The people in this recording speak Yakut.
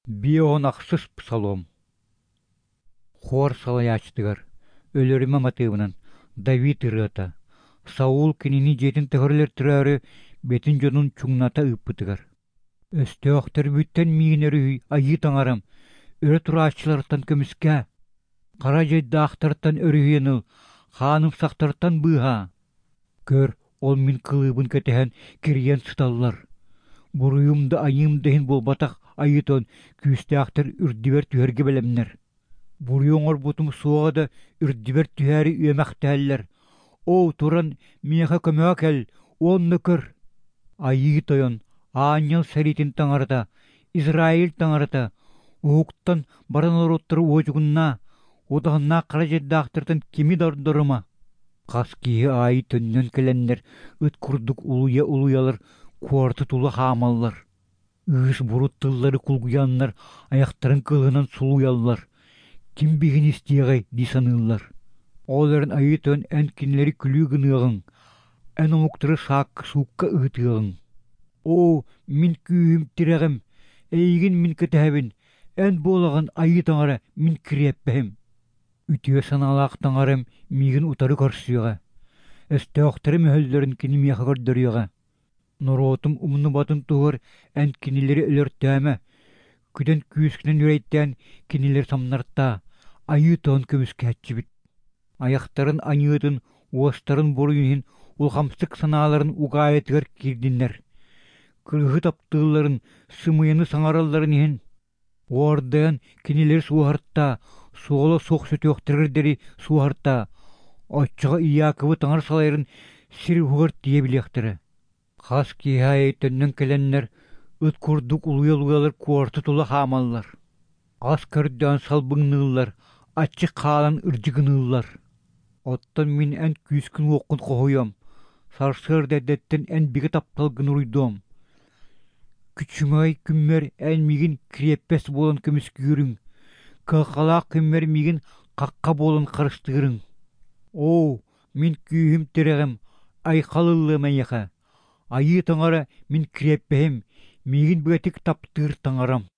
Бион ахсыс псалом. Хор салайааччытыгар Өлөрүмэ матыыбынан Давид ырыата, Саул кинини дьиэтин таһыгар өлөртөрөөрү бэйэтин дьонун чуҥната ыыппытыгар. Өстөөхтөрбүттэн миигин өрүһүй, Айыы Таҥарам, өрө турааччылартан көмүскээ, хара дьайдаахтартан өрүһүйэн ыл, хаанымсахтартан быыһаа. Көр, ол мин кылыыбын кэтэһэн кирийэн сыталлар. Буруйум да айыым да иһин буолбатах Айыы Тойон күүстээхтэр үрдүбэр түһэргэ бэлэмнэр. Буруйу оҥорбутум суоҕа да үрдүбэр түһээри үөмэхтэһэллэр. Оо, туран миэхэ көмөҕө кэл уонна көр. Айыы Тойон, аанньал сэриитин таҥарата, Израиль таҥарата, уһуктан баран норуоттары уодьугуннаа, удаҕаннаах хара дьайдаахтартан кими да ордорума. Хас киһи аайы төннөн кэлэннэр ыт курдук улуйа-улуйалар куораты тула хаамаллар. Ыыс бурут тыллары кулгуйаннар айахтарын кылынан сулуйаллар. Ким биһигини истиэҕэй дии саныыллар. Ол эрэн Айыы Тойон эн кинилэри күлүү гыныаҕыҥ, эн омуктары саакка-суукка ыытыаҕыҥ. Оо, мин күүһүм тирэҕим, эйигин мин кэтэһэбин, эн буолаҕын Айыы Таҥара мин кириэппэһим. Үтүө санаалаах таҥарам миигин утары көрсүөҕэ, өстөөхтөрүм өһөллөрүн кини миэхэ көрдөрүөҕэ. Норуотум умнубатын туһугар эн кинилэри өлөртөөмө, күдэн күүскүнэн үрэйдээн кинилэри самнартаа, Айыы Тойон көмүскээччибит. Айахтарын аньыытын, уостарын буруйун иһин улахамсык санааларын угаайытыгар киирдиннэр. Кыргыһы таптыылларын, сымыйаны саҥаралларын иһин Уордайан кинилэри суоһартаа, суола суох сүтүөхтэригэр диэри суоһартаа, оччоҕо Иаковы таҥара салайарын сир уһугар тиийэ билиэхтэрэ. Хас киэһэ аайы төннөн кэлэннэр ыт курдук улуйа-улуйалар куораты тула хаамаллар. Ас көрдөөн салбыҥныыллар, аччык хаалан ырдьыгыныыллар. Оттон мин эн күүскүн-уоххун хоһуйуом, сарсыарда эрдэттэн эн бигэ тапталгын уруйдуом. Күчүмэҕэй күммэр эн миигин кириэппэс буолан көмүскүүрүҥ, кыһалҕалаах күммэр миигин хахха буолан харыстыырыҥ. Оо, мин күүһүм-тирэҕим, айхал ыллыам эйиэхэ, Айыы Таҥара мин кириэппэһим, миигин бигэтик таптыыр Таҥарам.